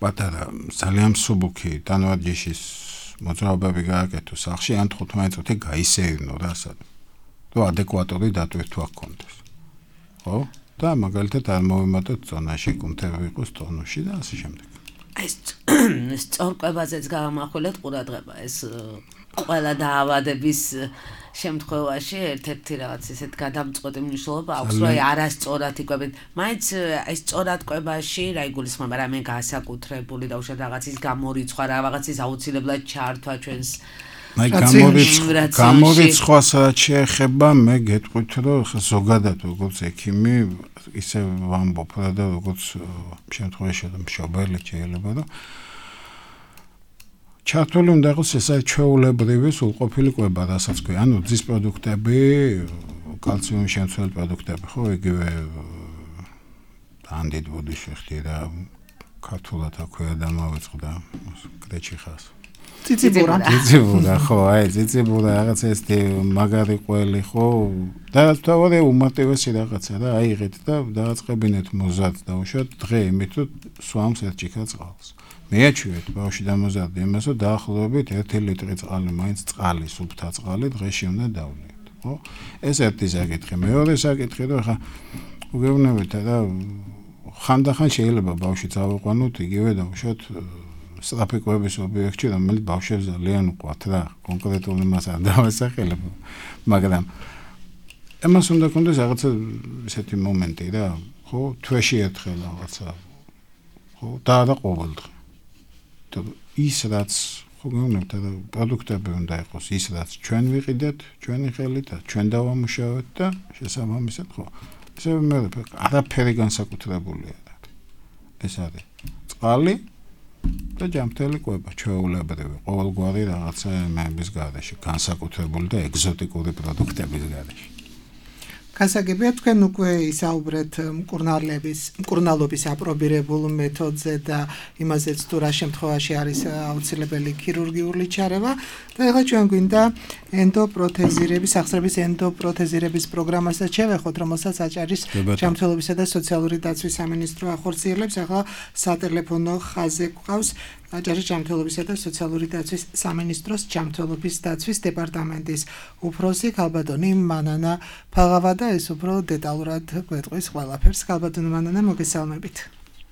პატარა ძალიან მსუბუქი ტანვარჯიშის მოძრაობები გააკეთო სახლში ან თხუთმეტი წუთი გაისეირნო რა სად რომ ადეკვატური დატვირთვა გქონდეს ხო და მაგალითად არ მოვიმატოთ ზონაში კუნთები იყოს ტონუსში და ასე შემდეგ აი ეს სწორკვებაზეც გამახვილეთ ყურადღება ეს ყველა დაავადების შემთხვევაში ერთ-ერთი რაღაც ისეთ გადამწყვეტი მნიშვნელობა აქვს რომ აი არასწორად იკვებენ მაინც აი სწორად კვებაში რა იგულისხმება რამე განსაკუთრებული და უშუალოდ რაღაცის გამორიცხვა რა რაღაცის აუცილებლად ჩართვა ჩვენს აი გამორიცხვა გამორიცხვა სადაც შეეხება მე გეტყვით რომ ზოგადად როგორც ექიმი ისე ვამბობ და როგორც შემთხვევაში მშობელი შეიძლება რომ ჩართული უნდა იყოს ეს ჩვეულებრივი სრულყოფილი კვება, რასაც ქვია, ანუ ძის პროდუქტები, კალციუმის შემცველი პროდუქტები, ხო, იგივე ანდიდ ბოდიში ხდება ქართულად აქვე დამავიწყდა კრეჩიხას. ციციბურა. ციციბურა, ხო, აი, ციციბურა რაღაც ესეთი მაგარი ყველი, ხო, და თავად უმარტივესი რაღაცა და აიღეთ და დააწყებინეთ მოზად დაუშვათ დღე იმით რომ სვამს ერთ ჭიქა წყალს. მეაჩვიეთ ბავშვი დამოზარდი იმას რომ დაახლოებით ერთი ლიტრი წყალი მაინც წყალი, სუფთა წყალი დღეში უნდა დავლიოთ, ხო? ეს ერთი საკითხი. მეორე საკითხი რომ ხა უგეუბნებით და ხანდახან შეიძლება ბავშვი წავიყვანოთ იგივე დაუშვათ სტრაფიკოების ობიექტში, რომელიც ბავშვებს ძალიან უყვართ რა, კონკრეტულ იმას არ დავასახელებ, მაგრამ ამას უნდა კონდეს რაღაცა ესეთი მომენტი რა, ხო, თვეში ერთხელ რაღაცა, ხო, და არა ყოველდღე. და ის რაც, ხო, გეუბნებთ და პროდუქტები უნდა იყოს ის რაც ჩვენ ვიყიდეთ, ჩვენი ხელით და ჩვენ დავამუშავეთ და შესაბამისად, ხო, ესე მე არაფერი განსაკუთრებული არ არის. ეს არის წყალი და ჯამთელი კვება, ჩვეულებრივი, ყოველგვარი რაღაცა იმების გარეშე, განსაკუთრებული და ეგზოტიკური პროდუქტების გარეშე. გასაგებია თქვენ უკვე ისაუბრეთ მკურნალობის, მკურნალობის აპრობირებულ მეთოდზე და იმაზეც თუ რა შემთხვევაში არის აუცილებელი ქირურგიული ჩარევა და ეხლა ჩვენ გვინდა ენდოპროთეზირების, სახსრების ენდოპროთეზირების პროგრამასაც შევეხოთ, რომელსაც აჭარის ჯანმრთელობისა და სოციალური დაცვის სამინისტრო ახორციელებს. ახლა სატელეფონო ხაზზე გვყავს აჭარის ჯანმრთელობისა და სოციალური დაცვის სამინისტროს ჯანმრთელობის დაცვის დეპარტამენტის უფროსი ქალბატონი მანანა ფაღავა და ეს უფრო დეტალურად გვეტყვის ყველაფერს. ქალბატონი მანანა, მოგესალმებით.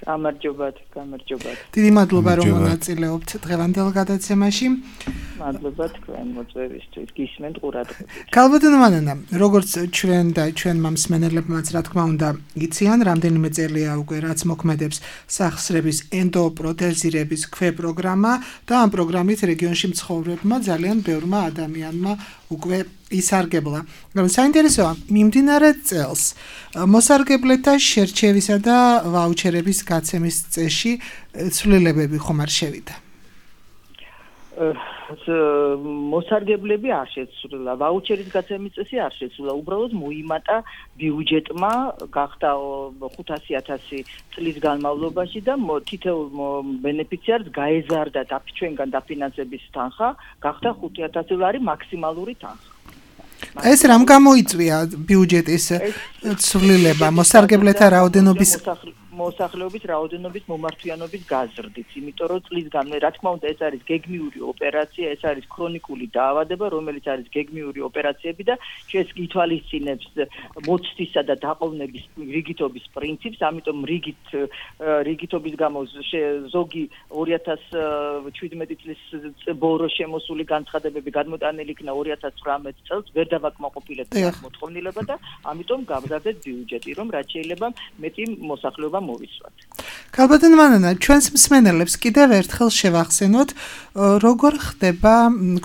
გამარჯობათ, გამარჯობათ. დიდი მადლობა რომ მონაწილეობთ დღევანდელ გადაცემაში. მადლობა თქვენ მოწვევისთვის, გისმენთ ყურადღებით. ქალბატონი მანანა, როგორც ჩვენ და ჩვენმა მსმენელებმაც რა თქმა უნდა იციან, რამდენიმე წელია უკვე რაც მოქმედებს სახსრების ენდოპროთეზირების ქვეპროგრამა და ამ პროგრამით რეგიონში მცხოვრებმა ძალიან ბევრმა ადამიანმა უკვე ისარგებლა. საინტერესოა, მიმდინარე წელს მოსარგებლეთა შერჩევისა და ვაუჩერების გაცემის წესში ცვლილებები ხომ არ შევიდა? მოსარგებლები არ შეცვლილა, ვაუჩერის გაცემის წესი არ შეცვლილა, უბრალოდ მოიმატა ბიუჯეტმა, გახდა ხუთასი ათასი წლის განმავლობაში და თითოეულ ბენეფიციარს გაეზარდა ჩვენგან დაფინანსების თანხა, გახდა ხუთი ათასი ლარი მაქსიმალური თანხა. ეს რამ გამოიწვია ბიუჯეტის ცვლილება, მოსარგებლეთა რაოდენობის მოსახლეობის რაოდენობის მომართვიანობის გაზრდით, იმიტომ რომ წლის განმავლობაში, რა თქმა უნდა, ეს არის გეგმიური ოპერაცია, ეს არის ქრონიკული დაავადება, რომელიც არის გეგმიური ოპერაციები და ჩვენს ითვალისწინებს მოცდისა და დაყოვნების რიგითობის პრინციპს, ამიტომ რიგით რიგითობის გამო ზოგი ორი ათას შვიდმეტი წლის ბოლო შემოსული განცხადებები გადმოტანილი იქნა ორი ათას ცხრამეტ წელს, ვერ დავაკმაყოფილებთ ამ მოთხოვნილება და ამიტომ გავზარდეთ ბიუჯეტი, რომ რაც შეიძლება მეტი მოსახლეობა მოვისვათ. ქალბატონი მანანა, ჩვენს მსმენელებს კიდევ ერთხელ შევახსენოთ, როგორ ხდება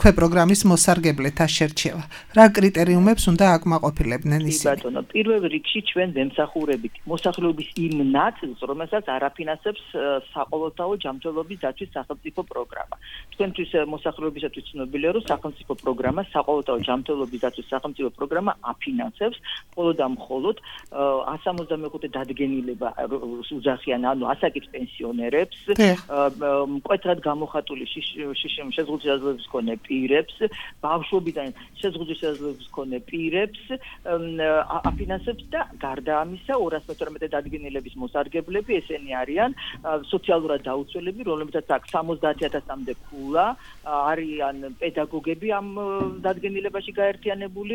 ქვეპროგრამის მოსარგებლეთა შერჩევა. რა კრიტერიუმებს უნდა აკმაყოფილებდნენ ისინი? ბატონო, პირველ რიგში ჩვენ ვემსახურებით მოსახლეობის იმ ნაწილს, რომელსაც არაფინანსებს საყოველთაო ჯანმრთელობის დაცვის სახელმწიფო პროგრამა. თქვენთვის მოსახლეობისათვის ცნობილია, რომ სახელმწიფო პროგრამა, საყოველთაო ჯანმრთელობის დაცვის სახელმწიფო პროგრამა აფინანსებს მხოლოდ და მხოლოდ εκατს სამოცდამეხუთე დადგენილება უძახიან, ანუ ასაკის პენსიონერებს, მკვეთრად გამოხატული შეზღუდვის შესაძლებლობის მქონე პირებს, ბავშვობიდან შეზღუდვის შესაძლებლობის მქონე პირებს აფინანსებს და გარდა ამისა ორას მეთორმეტე დადგენილების მოსარგებლები, ესენი არიან სოციალურად დაუცველები, რომლებსაც აქვს სამოცდაათი ათასამდე ქულა, არიან პედაგოგები ამ დადგენილებაში გაერთიანებული,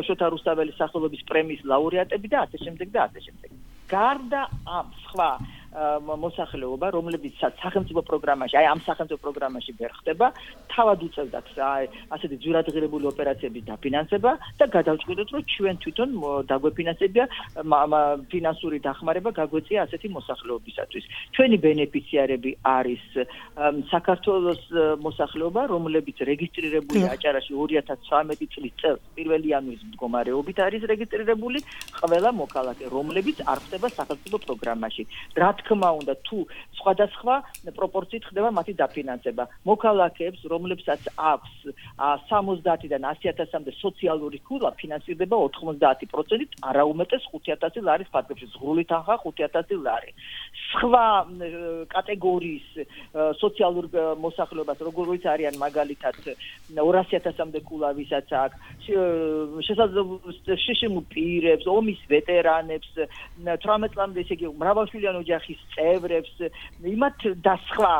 შოთა რუსთაველის სახელობის პრემიის ლაურეატები და ასე შემდეგ და ასე შემდეგ. გარდა ამ სხვა მოსახლეობა, რომლებიცაც სახელმწიფო პროგრამაში, აი ამ სახელმწიფო პროგრამაში ვერ ხდება, თავად უწევდათ აი ასეთი ძვირადღირებული ოპერაციების დაფინანსება და გადავჭყვიდოთ, რომ ჩვენ თვითონ დაგვეფინანსებია ფინანსური დახმარება გაგვეწია ასეთი მოსახლეობისათვის. ჩვენი ბენეფიციარები არის საქართველოს მოსახლეობა, რომლებიც რეგისტრირებულია აჭარაში ორი ათას ცხრამეტი წლის წელს პირველი იანვრის მდგომარეობით არის რეგისტრირებული ყველა მოქალაქე, რომლებიც არ ხდება სახელმწიფო პროგრამაში. რა თქმა უნდა, თუ სხვადასხვა პროპორციით ხდება მათი დაფინანსება. მოქალაქეებს, რომლებსაც აქვს სამოცდაათიდან ასი ათასამდე სოციალური ქულა, ფინანსირდება ოთხმოცდაათი პროცენტით, არაუმეტეს ხუთი ათასი ლარის ფარგლებში, ზღვრული თანხა ხუთი ათასი ლარი. სხვა კატეგორიის სოციალურ მოსახლეობას, როგორიც არიან მაგალითად ორასი ათასამდე ქულა, ვისაც აქვს, შესაძლებლობ პირებს, ომის ვეტერანებს, თვრამეტ წლამდე ესე იგი მრავალშვილიან ოჯახის წევრებს, იმათ და სხვა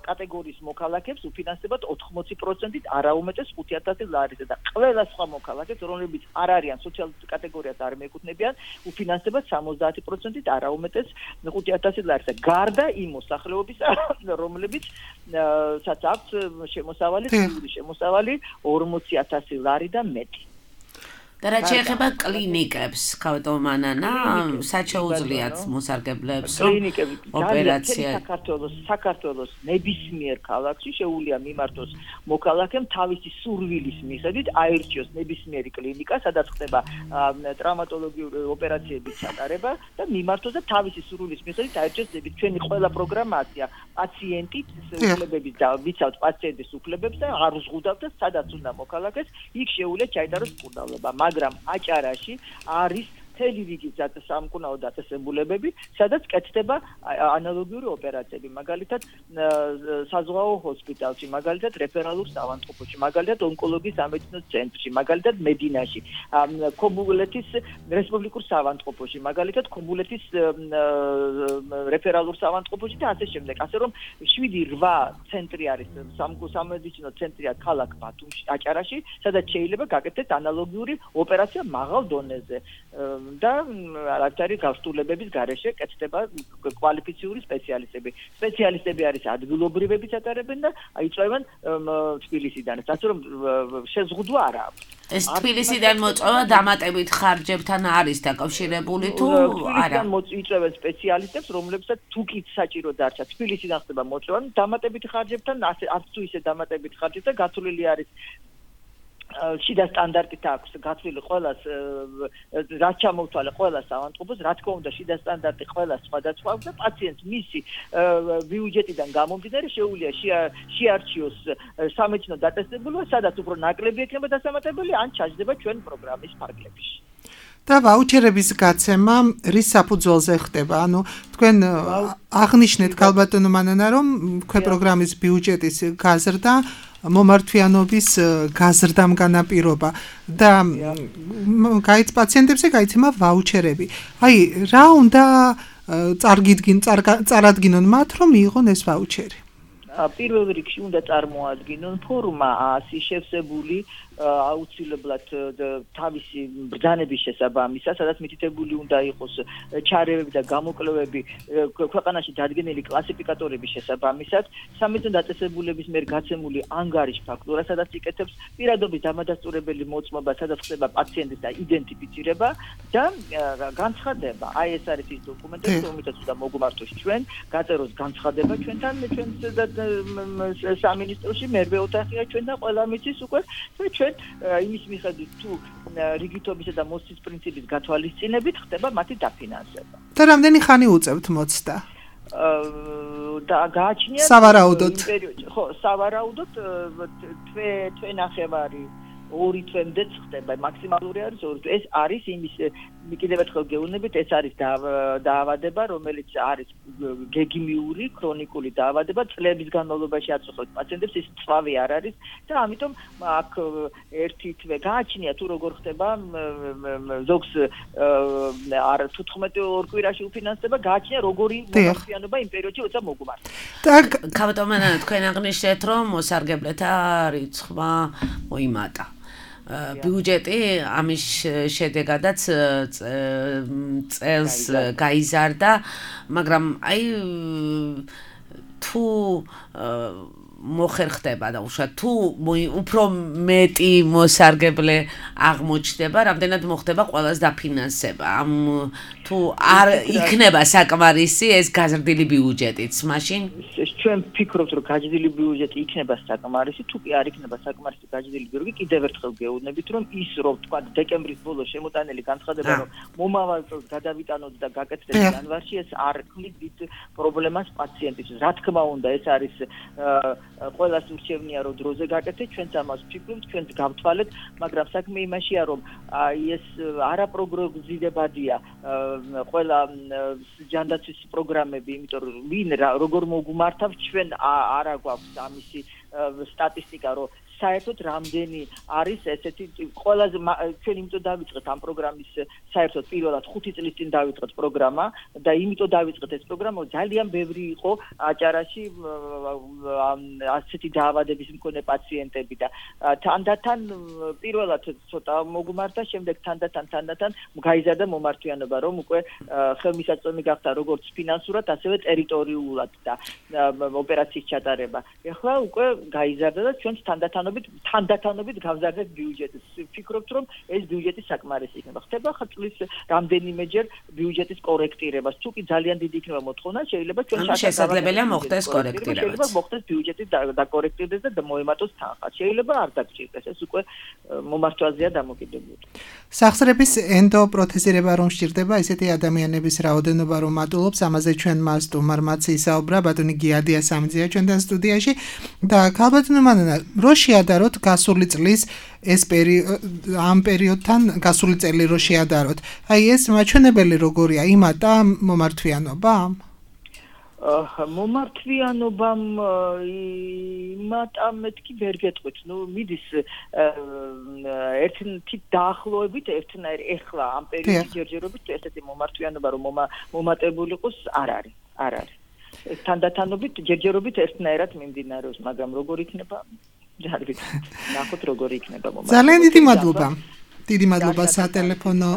კატეგორიის მოქალაქეებს უფინანსებათ ოთხმოცი პროცენტით არაუმეტეს ხუთი ათასი ლარიზე და ყველა სხვა მოქალაქეებს, რომლებიც არ არიან სოციალურ კატეგორიას არ მიეკუთვნებიან, უფინანსებათ სამოცდაათი პროცენტით არაუმეტეს ხუთი ათასი ლარიზე. გარდა იმ მოსახლეობის, რომლებიც საც აქვს შემოსავალი, შემოსავალი ორმოცი ათასი ლარი და მეტი. და რაც შეეხება კლინიკებს, ქავტომანანა, სად შეუძლიათ მოსარგებლეებს ოპერაცია? საქართველოს საქართველოს ნებისმიერ ქალაქში შეუძლია მიმართოს მოქალაქემ თავისი სურვილის მიხედვით აირჩიოს ნებისმიერი კლინიკა, სადაც ხდება ტრავმატოლოგიური ოპერაციების ჩატარება და მიმართოს და თავისი სურვილის მიხედვით აირჩიოს ნებისმიერი. ჩვენი ყველა პროგრამაცია პაციენტის უფლებების და ვიცავთ პაციენტის უფლებებს და არ უზღუდავთ და სადაც უნდა მოქალაქეს, იქ შეუძლია ჩაიტაროს მკურნალობა. მაგრამ აჭარაში არის მთელი რიგი სამკურნალო დაწესებულებები, სადაც კეთდება ანალოგიური ოპერაციები, მაგალითად საზღვაო ჰოსპიტალში, მაგალითად რეფერალურ საავადმყოფოში, მაგალითად ონკოლოგიის სამედიცინო ცენტრში, მაგალითად მედინაში, ქობულეთის რესპუბლიკურ საავადმყოფოში, მაგალითად ქობულეთის რეფერალურ საავადმყოფოში და ასე შემდეგ. ასე რომ შვიდი რვა ცენტრი არის სამედიცინო ცენტრია ქალაქ ბათუმში, აჭარაში, სადაც შეიძლება გაკეთდეს ანალოგიური ოპერაცია მაღალ დონეზე. და რაც არის გასტურლებების გარეშე კეთდება კვალიფიციური სპეციალისტები. სპეციალისტები არის ადგილობრივებიც ატარებენ და იწვევენ თბილისიდან. ასე რომ შეზღუდვა არ აქვს. ეს თბილისიდან მოწვევა დამატებით ხარჯებთან არის დაკავშირებული თუ არა? თბილისიდან იწვევენ სპეციალისტებს, რომლებსაც თუ კი საჭირო დარჩა თბილისიდან ხდება მოწვევა, დამატებით ხარჯებთან, არც თუ ისე დამატებით ხარჯებთან გათვლილი არის შიდა სტანდარტით აქვს გათვლილი ყველას რაც ჩამოვთვალე ყველას საავადმყოფოს, რა თქმა უნდა შიდა სტანდარტი ყველას სხვადასხვა და პაციენტს მისი ბიუჯეტიდან გამომდინარე შეუძლია შეარჩიოს სამედიცინო დაწესებულება, სადაც უფრო ნაკლები ექნება დასამატებელი, ან ჩაჯდება ჩვენ პროგრამის ფარგლებში. და ვაუჩერების გაცემა რის საფუძველზე ხდება? ანუ თქვენ აღნიშნეთ ქალბატონო მანანა, რომ თქვენ პროგრამის ბიუჯეტის გაზრდა მომართვიანობის გაზრდამ განაპირობა და გაიც პაციენტებზე გაიცემა ვაუჩერები. აი, რა უნდა წარგიდგინ წარადგინონ მათ, რომ მიიღონ ეს ვაუჩერი? პირველ რიგში უნდა წარმოადგინონ ფორმა ასი შევსებული აუცილებლად თავისი ბრძანების შესაბამისად, სადაც მითითებული უნდა იყოს ჩარევები და გამოკვლევები ქვეყანაში დადგენილი კლასიფიკატორების შესაბამისად, სამედიცინო დაწესებულების მიერ გაცემული ანგარიშ ფაქტურა, სადაც იკეთებს პირადობის დამადასტურებელი მოწმობა, სადაც ხდება პაციენტის identifikება და განცხადება. აი ეს არის ის დოკუმენტები, რომელსაც უნდა მოგმართოს ჩვენ, გაწეროს განცხადება ჩვენთან, ჩვენ სამინისტროში მერვე ოთახია ჩვენ და ყველა მიცის უკვე ჩვენ იმის მიხედვით თუ რიგითობისა და მოსის პრინციპის გათვალისწინებით ხდება მათი დაფინანსება. და რამდენი ხანი უწევთ მოცდა? და გააჩნია სავარაუდოდ. ხო, სავარაუდოდ თვე თვე ნახევარი ორი თვემდეც ხდება, მაქსიმალური არის ორი თვე. ეს არის იმის კიდევ ერთხელ გეუბნებით, ეს არის დაავადება, რომელიც არის გეგმიური, ქრონიკული დაავადება, წლების განმავლობაში აწუხებს პაციენტებს, ის წვავი არ არის და ამიტომ აქ ერთი თვე გააჩნია თუ როგორ ხდება ზოგს არ თუთხმეტი ორ კვირაში უფინანსება, გააჩნია როგორი მომართვიანობა იმ პერიოდში როცა მოგმართ. ქავტომანა, თქვენ აღნიშნეთ, რომ მოსარგებლეთა რიცხვა მოიმატა. ბიუჯეტი ამის შედეგადაც წელს გაიზარდა, მაგრამ აი თუ მოხერხდება და უშუალოდ თუ უფრო მეტი მოსარგებლე აღმოჩნდება, რამდენად მოხდება ყველას დაფინანსება. ამ თუ არ იქნება საკმარისი ეს გაზრდილი ბიუჯეტიც, მაშინ ჩვენ ვფიქრობთ, რომ გაჭდილი ბიუჯეტი იქნება საკმარისი, თუ კი არ იქნება საკმარისი გაჭდილი ბიუჯეტი, კიდევ ერთხელ გეუბნებით, რომ ის რომ თქვა დეკემბრის ბოლოს შემოტანილი განცხადება, რომ მომავალ წელს გადავიტანოთ და გაკეთდეს იანვარში, ეს არ ქმნის დიდ პრობლემას პაციენტისთვის. რა თქმა უნდა, ეს არის ყველას ურჩევნია, რომ დროზე გაკეთდეს, ჩვენც ამას ვფიქრობთ, ჩვენც გავთვალეთ, მაგრამ საქმე იმაშია, რომ აი ეს არაპროგნოზირებადია ყველა ჯანდაცვის პროგრამები, იმიტომ რომ ვინ როგორ მოგმართავ, ჩვენ არ აგვაქვს ამისი სტატისტიკა, რომ საერთოდ რამდენი არის ესეთი ყველაზე ჩვენ იმიტომ დავიწყეთ ამ პროგრამის საერთოდ პირველად ხუთი წლის წინ დავიწყეთ პროგრამა და იმიტომ დავიწყეთ ეს პროგრამა, რომ ძალიან ბევრი იყო აჭარაში ასეთი დაავადების მქონე პაციენტები და თანდათან პირველად ცოტა მოგმართა, შემდეგ თანდათან თანდათან გაიზარდა მომართვიანობა, რომ უკვე ხელმისაწვდომი გახდა როგორც ფინანსურად, ასევე ტერიტორიულად და ოპერაციის ჩატარება. ეხლა უკვე გაიზარდა და ჩვენც თანდათან თანდათანობით გავზარდეთ ბიუჯეტს. ვფიქრობთ, რომ ეს ბიუჯეტი საკმარისი იქნება. ხდება ხა წლის რამდენიმეჯერ ბიუჯეტის კორექტირებას. თუ კი ძალიან დიდი იქნება მოთხოვნა, შეიძლება ჩვენ შესაძლებელია მოხდეს კორექტირება. შეიძლება მოხდეს ბიუჯეტი დაკორექტირდეს და მოემატოს თანხა. შეიძლება არ დაგჭირდეს. ეს უკვე მომართვაზეა დამოკიდებული. სახსრების ენდოპროთეზირება რომ სჭირდება, ესეთი ადამიანების რაოდენობა რომ მატულობს, ამაზე ჩვენ მას სტუმარ მაცი ისაუბრა, ბატონი გიადია სამძია ჩვენთან სტუდიაში და ქალბატონო მანანა, რო შეადაროთ გასული წლის ეს პერიოდი ამ პერიოდთან გასული წელი რო შეადაროთ. აი ეს მაჩვენებელი როგორია, იმატა მომართვიანობა? მომართვიანობამ იმატა მეთქი ვერ გეტყვით. ნუ მიდის ერთით დაახლოებით ერთნაირი ეხლა ამ პერიოდის ჯერჯერობით ესეთი მომართვიანობა რომ მომატებული იყოს არ არის. არ არის. თანდათანობით ჯერჯერობით ერთნაირად მიმდინარეობს, მაგრამ როგორ იქნება? არ ვიცი. ნახოთ როგორ იქნება მომავალ. ძალიან დიდი მადლობა. დიდი მადლობა სატელეფონო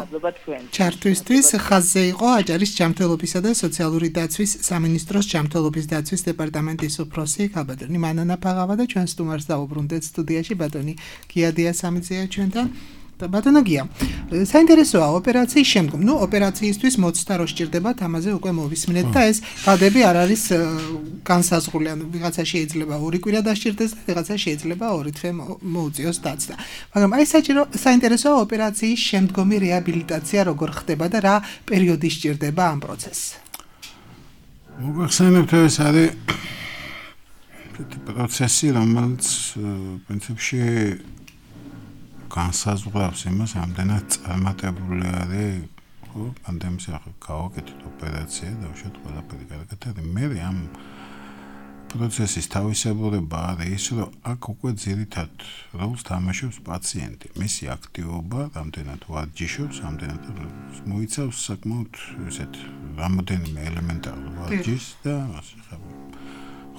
ჩართვისთვის. ხაზზე იყო აჭარის ჯანმრთელობისა და სოციალური დაცვის სამინისტროს ჯანმრთელობის დაცვის დეპარტამენტის უფროსი ქალბატონი მანანა ფაღავა და ჩვენ სტუმარს დავუბრუნდეთ სტუდიაში ბატონი გიადია სამძია ჩვენთან. ბატონო გია, საინტერესოა ოპერაციის შემდგომ. ნუ ოპერაციისთვის მოცდა რო სჭირდებათ, ამაზე უკვე მოვისმინეთ და ეს გადები არ არის განსაზღვრული. ანუ ვიღაცა შეიძლება ორი კვირა დასჭირდეს და ვიღაცა შეიძლება ორი თვე მოუწიოს დაცვა. მაგრამ აი საჭირო საინტერესოა ოპერაციის შემდგომი რეაბილიტაცია როგორ ხდება და რა პერიოდი სჭირდება ამ პროცესს. მოგახსენებთ, ეს არის პროცესი, რომელიც პრინციპში განსაზღვრავს იმას, ამდენად წარმატებული არის ხო პანდემიის ახალ გავაკეთეთ ოპერაცია და უშუალოდ ყველაფერი კარგად არის. მე ამ პროცესის თავისებურება არის ის, რომ აქ უკვე ძირითად როლს თამაშობს პაციენტი. მისი აქტივობა რამდენად ვარჯიშობს, რამდენად მოიცავს საკმაოდ ესეთ რამოდენიმე ელემენტარულ ვარჯიშს და ასე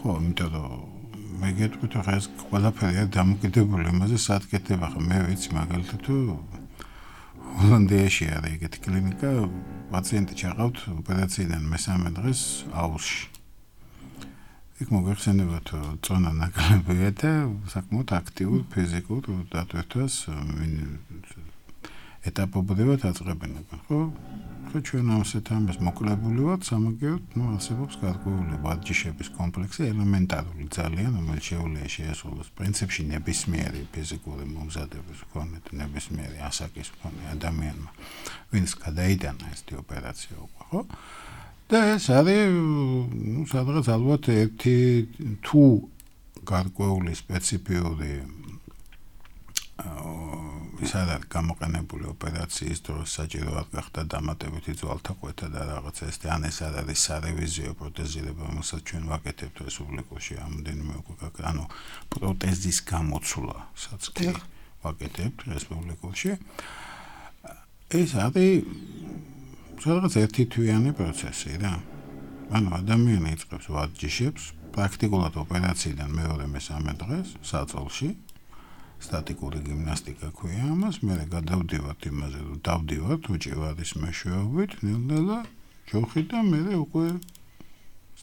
ხო, იმიტომ რომ მე გეტყვით, რომ ეს ყველაფერი არის დამოკიდებული იმაზე, სად კეთდება. ხო მე ვიცი მაგალითად თუ ჰოლანდიაში არის ეგეთი კლინიკა, პაციენტი ჩაყავთ ოპერაციიდან მესამე დღეს აუზში. იქ მოგეხსენებათ, რომ წონა ნაკლებია და საკმაოდ აქტიურ ფიზიკურ დატვირთვას ეტაპობრივად აწყებენ, ხო? ხო ჩვენ ამასეთ ამას მოკლებული ვართ, სამაგიეროდ, ნუ არსებობს გარკვეული ვარჯიშების კომპლექსი, ელემენტარული ძალიან, რომელიც შეუძლია შეასრულოს პრინციპში ნებისმიერი ფიზიკური მომზადების მქონე, ნებისმიერი ასაკის მქონე ადამიანმა, ვინც გადაიტანა ეს ოპერაცია უკვე, ხო? და ეს არის, ნუ სადღაც ალბათ ერთი თუ გარკვეული სპეციფიური ის არის გამოყენებული ოპერაციის დროს საჭიროა გახდა დამატებითი ძვალთაყვეთა და რაღაცა ეს ან ეს არის სარევიზიო პროტეზირება, რომელსაც ჩვენ ვაკეთებთ რესპუბლიკაში ამდენიმე უკვე, ანუ პროტეზის გამოცვლასაც კი ვაკეთებთ რესპუბლიკაში. ეს არის სადღაც ერთი თვიანი პროცესი რა. ანუ ადამიანი იწყებს ვარჯიშებს პრაქტიკულად ოპერაციიდან მეორე მესამე დღეს საწოლში. სტატიკური გიმნასტიკა ქვია ამას, მე გადავდივართ იმაზე, რომ დავდივართ უჭირვარის მეშვეობით, ნელ-ნელა ჯოხი და მე უკვე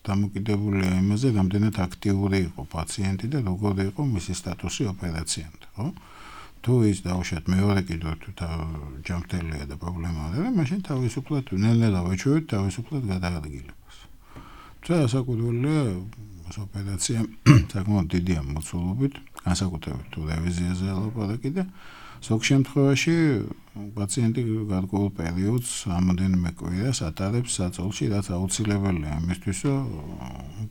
დამოკიდებულია იმაზე, რამდენად აქტიური იყო პაციენტი და როგორი იყო მისი სტატუსი ოპერაციამდე, ხო? თუ ის დაუშვათ მეორე კიდევ თუ ჯანმრთელია და პრობლემა არ არის, მაშინ თავისუფლად ნელ-ნელა ვეჩვევით თავისუფლად გადაადგილებას. და ასაკუთრებელია ოპერაცია საკმაოდ დიდი ამოცულობით, განსაკუთრებით თუ რევიზიაზე ლაპარაკი და ზოგ შემთხვევაში პაციენტი გარკვეულ პერიოდს რამოდენიმე კვირას ატარებს საწოლში, რაც აუცილებელია იმისთვის, რომ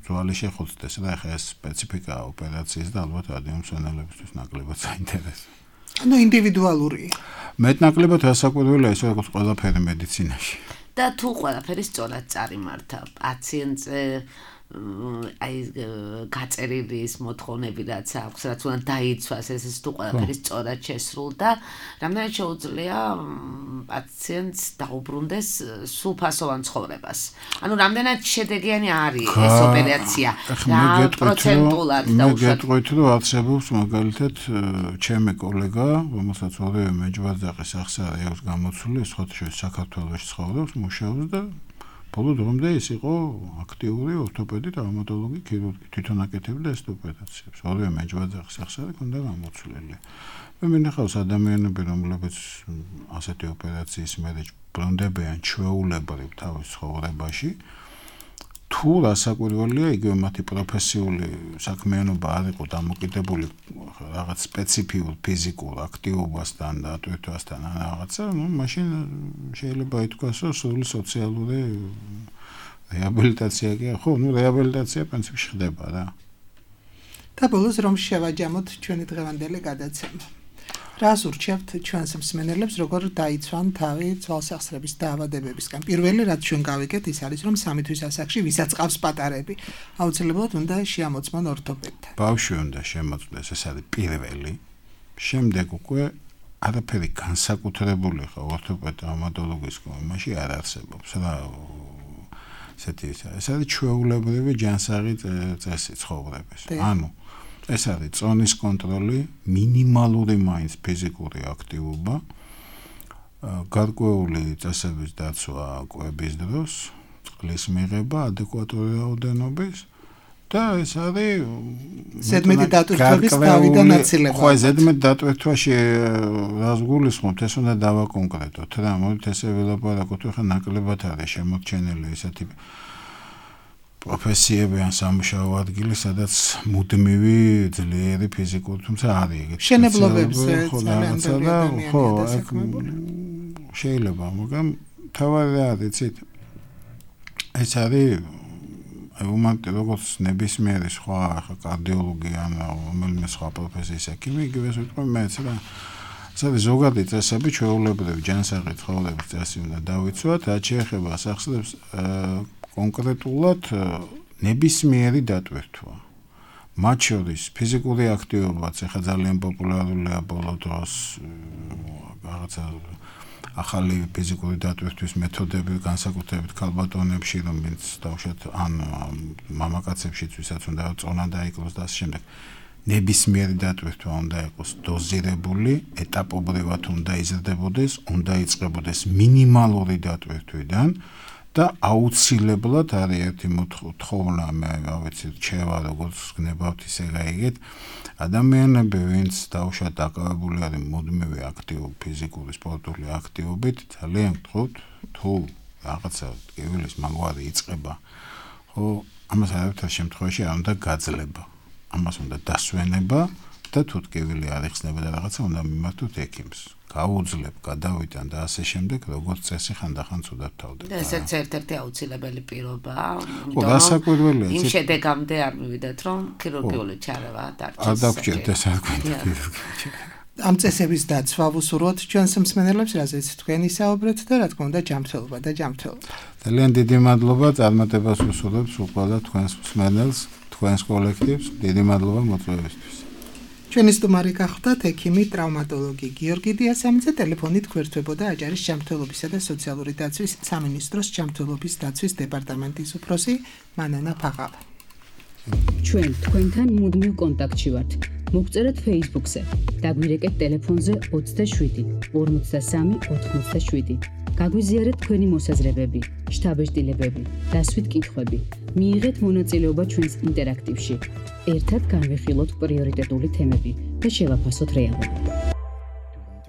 ძვალი შეხოცდეს და ახლა ეს სპეციფიკაა ოპერაციის და ალბათ რადიომსვენელებისთვის ნაკლებად საინტერესოა. ანუ ინდივიდუალურია. მეტნაკლებად ასაკუთრებელია ისე როგორც ყველაფერი მედიცინაში. და თუ ყველაფერი სწორად წარიმართა პაციენტზე აი გაწერილი ის მოთხოვნები რაც აქვს, რაც უნდა დაიცვას, ეს ის თუ ყველაფერი სწორად შესრულდა, რამდენად შეუძლია პაციენტს დაუბრუნდეს სრულფასოვან ცხოვრებას. ანუ რამდენად შედეგიანი არის ეს ოპერაცია? რა პროცენტულად დაუშვათ? მე გეტყვით, რომ არსებობს მაგალითად ჩემი კოლეგა, რომელსაც ორივე მეჯბაძაყის ახსარი აქვს გამოცული, სხვადასხვა საქართველოში ცხოვრობს, მუშაობს და ბოლო დრომდე ის იყო აქტიური ორთოპედი, ტრავმატოლოგი, ქირურგი, თვითონ აკეთებდა ეს ოპერაციებს. ორივე მეჯბაძახის ახსარი ჰქონდა გამოცვლილი. მე მინახავს ადამიანები, რომლებიც ასეთი ოპერაციის მერე ბრუნდებიან ჩვეულებრივ თავის ცხოვრებაში. თუ რასაკვირველია, იგივე მათი პროფესიული საქმიანობა არ იყო დამოკიდებული რაღაც სპეციფიურ ფიზიკურ აქტივობასთან და ატვირთვასთან ან რაღაცა, ну, მაშინ შეიძლება ითქვას, რომ სრული სოციალური რეაბილიტაცია კი არა, ხო, ну, რეაბილიტაცია პრინციპში ხდება რა. და ბოლოს რომ შევაჯამოთ ჩვენი დღევანდელი გადაცემა. რას ურჩევთ ჩვენს მსმენელებს, როგორ დაიცვან თავი ძვალსახსრების დაავადებებისგან? პირველი, რაც ჩვენ გავიგეთ, ის არის, რომ სამი თვის ასაკში ვისაც ყავს პატარები, აუცილებლად უნდა შეამოწმონ ორთოპედთან. ბავშვი უნდა შემოწმდეს, ეს არის პირველი. შემდეგ უკვე არაფერი განსაკუთრებული ხა ორთოპედ ტრავმატოლოგის კომაში არ არსებობს რა. ესეთი ეს არის ჩვეულებრივი ჯანსაღი წესი ცხოვრების. ანუ ეს არის წონის კონტროლი, მინიმალური მაინც ფიზიკური აქტივობა, გარკვეული წესების დაცვა კვების დროს, წყლის მიღება ადეკვატური რაოდენობის და ეს არის ზედმეტი დატვირთვების თავიდან აცილება. ხო, ზედმეტ დატვირთვაში რას გულისხმობთ, ეს უნდა დავაკონკრეტოთ რა, მოდით ესე ველაპარაკოთ, ხა ნაკლებად არის შემორჩენილი ესეთი პროფესიები ან სამუშაო ადგილი, სადაც მუდმივი ძლიერი ფიზიკური, თუმცა არის ეგეთი შენებლობებზე ძალიან და ხო, შეიძლება, მაგრამ თავარი არის, იცით, ეს არის უმარტო როგორც ნებისმიერი სხვა კარდიოლოგი ან რომელიმე სხვა პროფესიის ექიმი, იგივე ვიტყვი მეც რა. ეს არის ზოგადი წესები, ჩვეულებრივი ჯანსაღი ცხოვრების წესი უნდა დავიცვათ, რაც შეეხება სახსრებს კონკრეტულად ნებისმიერი დატვირთვა. მათ შორის ფიზიკური აქტივობაც ახლა ძალიან პოპულარულია ბოლო დროს, რაღაცა ახალი ფიზიკური დატვირთვის მეთოდები განსაკუთრებით ქალბატონებში, რომელიც დავუშვათ ან მამაკაცებშიც, ვისაც უნდა წონა დაიკლოს და ასე შემდეგ. ნებისმიერი დატვირთვა უნდა იყოს დოზირებული, ეტაპობრივად უნდა იზრდებოდეს, უნდა იწყებოდეს მინიმალური დატვირთვიდან და აუცილებლად არის ერთი მოთხოვნა, მე რა ვიცი, რჩევა, როგორც გნებავთ ისე გაიგეთ, ადამიანები, ვინც დავუშვათ დაკავებული არის მუდმივი აქტიური ფიზიკური სპორტული აქტივობით, ძალიან გთხოვთ, თუ რაღაცა ტკივილის მაგვარი იწყება, ხო, ამას არაფერ შემთხვევაში არ უნდა გაძლება. ამას უნდა დასვენება და თუ ტკივილი არ იხსნება და რაღაცა უნდა მიმართოთ ექიმს. გაუძლებ, გადავიტან და ასე შემდეგ, როგორც წესი ხანდახან ცუდად თავდება. და ესეც ერთ-ერთი აუცილებელი პირობაა. ხო, დასაკვირველია. იმ შედეგამდე არ მივიდეთ, რომ ქირურგიული ჩარევა დარჩეს. არ დაგჭირთ ეს არ გვინდა ქირურგია. ამ წესების დაცვა ვუსურვოთ ჩვენს მსმენელებს, რაზეც თქვენ ისაუბრეთ და რა თქმა უნდა ჯანმრთელობა და ჯანმრთელობა. ძალიან დიდი მადლობა წარმატებას ვუსურვებთ უყურებთ თქვენს მსმენელს, თქვენს კოლექტივს. დიდი მადლობა მოწვევისთვის. ჩვენი სტუმარი გახლდათ ექიმი ტრავმატოლოგი გიორგი დიასამიძე, ტელეფონით გვერდთვებოდა აჭარის ჯანმრთელობისა და სოციალური დაცვის სამინისტროს ჯანმრთელობის დაცვის დეპარტამენტის უფროსი მანანა ფაღავა. ჩვენ თქვენთან მუდმივ კონტაქტში ვართ. მოგწერეთ Facebook-ზე, დაგვირეკეთ ტელეფონზე ოცდაშვიდი ორმოცდასამი ოთხმოცდაშვიდი. გაგვიზიარეთ თქვენი მოსაზრებები, შთაბეჭდილებები, დასვით კითხვები. მიიღეთ მონაწილეობა ჩვენს ინტერაქტივში. ერთად განვიხილოთ პრიორიტეტული თემები და შევაფასოთ რეალობა.